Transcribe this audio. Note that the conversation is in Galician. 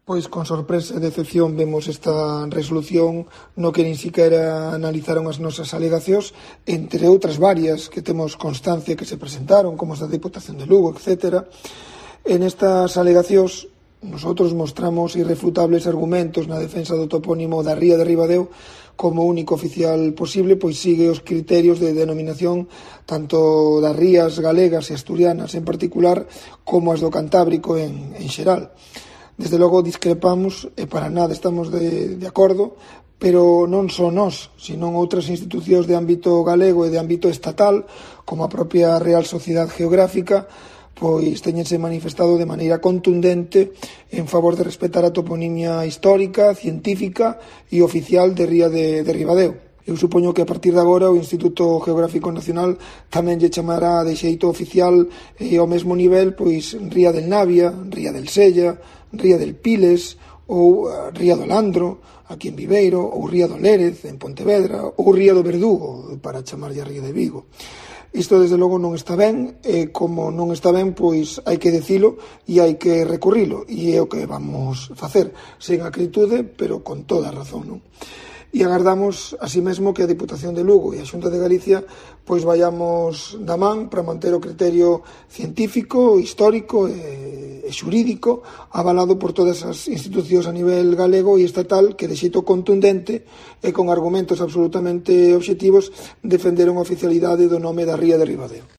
Pois con sorpresa e decepción vemos esta resolución no que nin siquiera analizaron as nosas alegacións, entre outras varias que temos constancia que se presentaron, como as da Diputación de Lugo, etc. En estas alegacións, nosotros mostramos irrefutables argumentos na defensa do topónimo da ría de Ribadeo como único oficial posible, pois sigue os criterios de denominación tanto das rías galegas e asturianas en particular como as do Cantábrico en xeral. Desde logo discrepamos e para nada estamos de acordo, pero non só nós, senón outras institucións de ámbito galego e de ámbito estatal, como a propia Real Sociedade Geográfica, pois teñense manifestado de maneira contundente en favor de respetar a toponimia histórica, científica e oficial de Ría de Ribadeo. Eu supoño que a partir de agora o Instituto Geográfico Nacional tamén lle chamará de xeito oficial e ao mesmo nivel pois Ría del Navia, Ría del Sella, Ría del Piles ou Ría do Landro, aquí en Viveiro, ou Ría do Lérez, en Pontevedra, ou Ría do Verdugo, para chamarlle a Ría de Vigo. Isto, desde logo, non está ben, e como non está ben, pois hai que dicilo e hai que recurrilo, e é o que vamos facer, sen acritude, pero con toda a razón, non? E agardamos, así mesmo, que a Diputación de Lugo e a Xunta de Galicia pois vayamos da man para manter o criterio científico, histórico e xurídico avalado por todas as institucións a nivel galego e estatal que de xeito contundente e con argumentos absolutamente obxectivos defenderon a oficialidade do nome da ría de Ribadeo.